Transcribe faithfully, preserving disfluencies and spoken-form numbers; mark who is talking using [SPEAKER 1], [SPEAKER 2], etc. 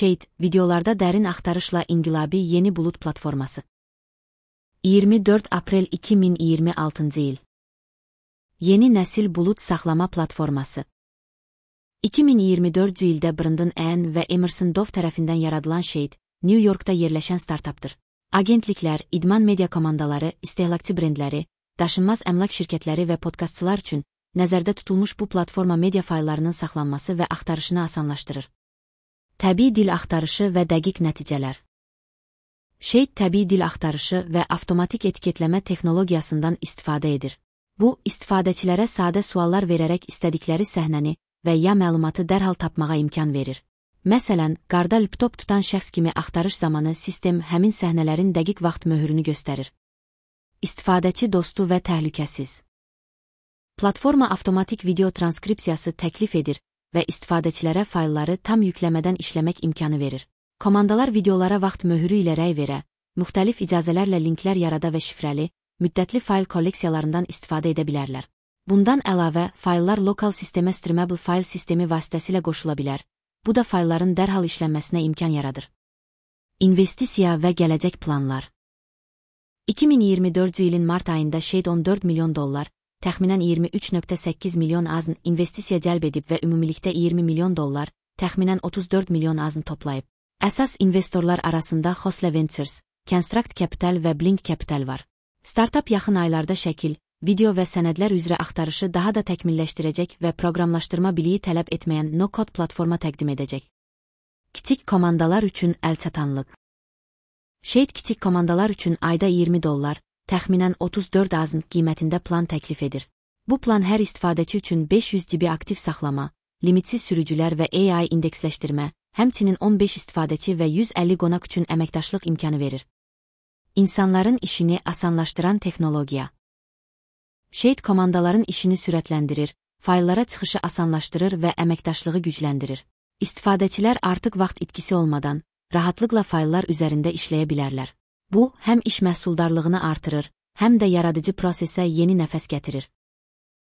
[SPEAKER 1] Shade, videolarda dərin axtarışla inqilabi yeni bulut platforması. iyirmi dörd aprel iki min iyirmi altıncı il. Yeni nəsil bulut saxlama platforması. iki min iyirmi dördüncü ildə Brandon Ann və Emerson Dove tərəfindən yaradılan Shade, New Yorkda yerləşən startapdır. Agentliklər, idman media komandaları, istehlakçı brendləri, daşınmaz əmlak şirkətləri və podkastçılar üçün nəzərdə tutulmuş bu platforma media fayllarının saxlanması və axtarışını asanlaşdırır. Təbii dil axtarışı və dəqiq nəticələr. Shade təbii dil axtarışı və avtomatik etiketləmə texnologiyasından istifadə edir. Bu, istifadəçilərə sadə suallar verərək istədikləri səhnəni və ya məlumatı dərhal tapmağa imkan verir. Məsələn, qarda laptop tutan şəxs kimi axtarış zamanı sistem həmin səhnələrin dəqiq vaxt möhürünü göstərir. İstifadəçi dostu və təhlükəsiz. Platforma avtomatik video transkripsiyası təklif edir və istifadəçilərə faylları tam yükləmədən işləmək imkanı verir. Komandalar videolara vaxt möhürü ilə rəy verə, müxtəlif icazələrlə linklər yarada və şifrəli, müddətli fayl kolleksiyalarından istifadə edə bilərlər. Bundan əlavə, fayllar lokal sistemə streamable fayl sistemi vasitəsilə qoşula bilər. Bu da faylların dərhal işlənməsinə imkan yaradır. İnvestisiya və gələcək planlar. iki min iyirmi dördüncü ilin mart ayında Shade on dörd milyon dollar, təxminən iyirmi üç nöqtə səkkiz milyon azn investisiya cəlb edib və ümumilikdə iyirmi milyon dollar, təxminən otuz dörd milyon azn toplayıb. Əsas investorlar arasında Khosla Ventures, Construct Capital və Blink Capital var. Startup yaxın aylarda şəkil, video və sənədlər üzrə axtarışı daha da təkmilləşdirəcək və proqramlaşdırma biliyi tələb etməyən no-code platforma təqdim edəcək. Kiçik komandalar üçün əlçatanlıq. Shade kiçik komandalar üçün ayda iyirmi dollar, təxminən otuz dörd azn qiymətində plan təklif edir. Bu plan hər istifadəçi üçün beş yüz giqabayt aktiv saxlama, limitsiz sürücülər və A I indeksləşdirmə, həmçinin on beş istifadəçi və yüz əlli qonaq üçün əməkdaşlıq imkanı verir. İnsanların işini asanlaşdıran texnologiya. Shade komandaların işini sürətləndirir, fayllara çıxışı asanlaşdırır və əməkdaşlığı gücləndirir. İstifadəçilər artıq vaxt itkisi olmadan, rahatlıqla fayllar üzərində işləyə bilərlər. Bu, həm iş məhsuldarlığını artırır, həm də yaradıcı prosesə yeni nəfəs gətirir.